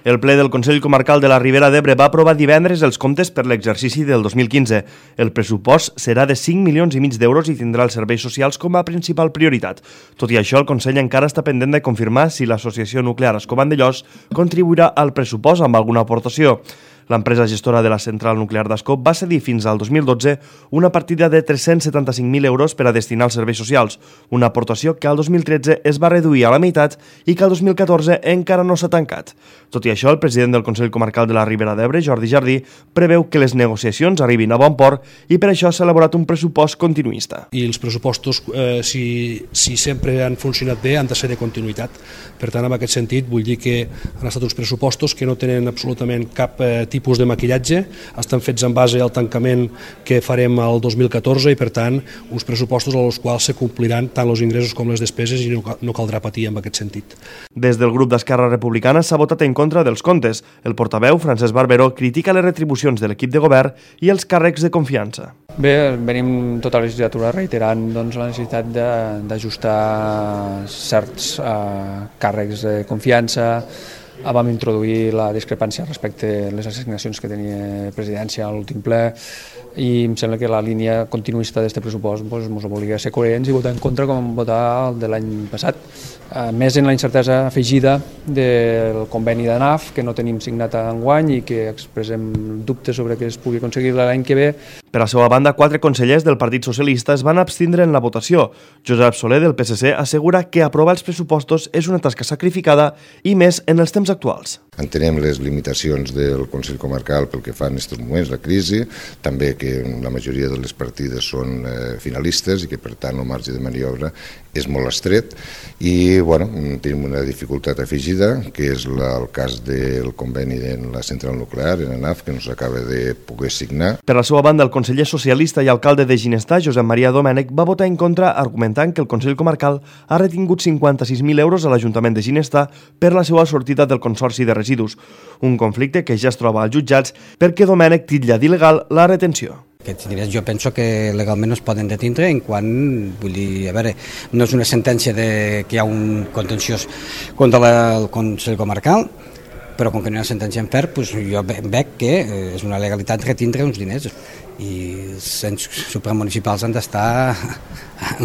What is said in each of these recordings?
El ple del Consell Comarcal de la Ribera d'Ebre va aprovar divendres els comptes per l'exercici del 2015. El pressupost serà de 5,5 milions d'euros i tindrà els serveis socials com a principal prioritat. Tot i això, el Consell encara està pendent de confirmar si l'Associació Nuclear Ascó-Vandellòs contribuirà al pressupost amb alguna aportació. L'empresa gestora de la central nuclear d'Ascó va cedir fins al 2012 una partida de 375.000 euros per a destinar als serveis socials, una aportació que al 2013 es va reduir a la meitat i que al 2014 encara no s'ha tancat. Tot i això, el president del Consell Comarcal de la Ribera d'Ebre, Jordi Jardí, preveu que les negociacions arribin a bon port i per això s'ha elaborat un pressupost continuista. I els pressupostos, si sempre han funcionat bé, han de ser de continuïtat. Per tant, en aquest sentit, vull dir que han estat uns pressupostos que no tenen absolutament cap tipus de maquillatge, estan fets en base al tancament que farem el 2014 i, per tant, uns pressupostos als quals se compliran tant els ingressos com les despeses i no caldrà patir en aquest sentit. Des del grup d'Esquerra Republicana s'ha votat en contra dels comptes. El portaveu, Francesc Barberó, critica les retribucions de l'equip de govern i els càrrecs de confiança. Bé, venim tota la legislatura reiterant la necessitat d'ajustar certs càrrecs de confiança. Vam introduir la discrepància respecte a les assignacions que tenia presidència a l'últim ple i em sembla que la línia continuista d'aquest pressupost ens obliga a ser coherents i votar en contra com votar el de l'any passat. Més en la incertesa afegida del conveni de NAF, que no tenim signat enguany i que expressem dubtes sobre que es pugui aconseguir l'any que ve. Per la seva banda, 4 consellers del Partit Socialista es van abstindre en la votació. Josep Soler, del PSC, assegura que aprovar els pressupostos és una tasca sacrificada i més en els temps actuals. Entenem les limitacions del Consell Comarcal pel que fa en aquests moments, la crisi, també que la majoria de les partides són finalistes i que per tant el marge de maniobra és molt estret i tenim una dificultat afegida que és el cas del conveni de la central nuclear, en ANAF, que no s'acaba de poder signar. Per la seva banda, el conseller socialista i alcalde de Ginestar, Josep Maria Domènech, va votar en contra argumentant que el Consell Comarcal ha retingut 56.000 euros a l'Ajuntament de Ginestar per la seva sortida del Consorci de Residus, un conflicte que ja es troba als jutjats perquè Domènech titlla d'il·legal la retenció. Aquests diners jo penso que legalment no es poden detindre en quan, vull dir, a veure, no és una sentència que hi ha un contenciós contra el Consell Comarcal, però com que no hi ha sentència en ferm, doncs jo veig que és una legalitat retindre uns diners i els ens supramunicipals han d'estar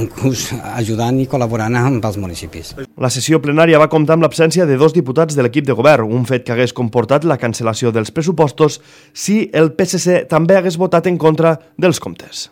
inclús ajudant i col·laborant amb els municipis. La sessió plenària va comptar amb l'absència de 2 diputats de l'equip de govern, un fet que hagués comportat la cancel·lació dels pressupostos si el PSC també hagués votat en contra dels comptes.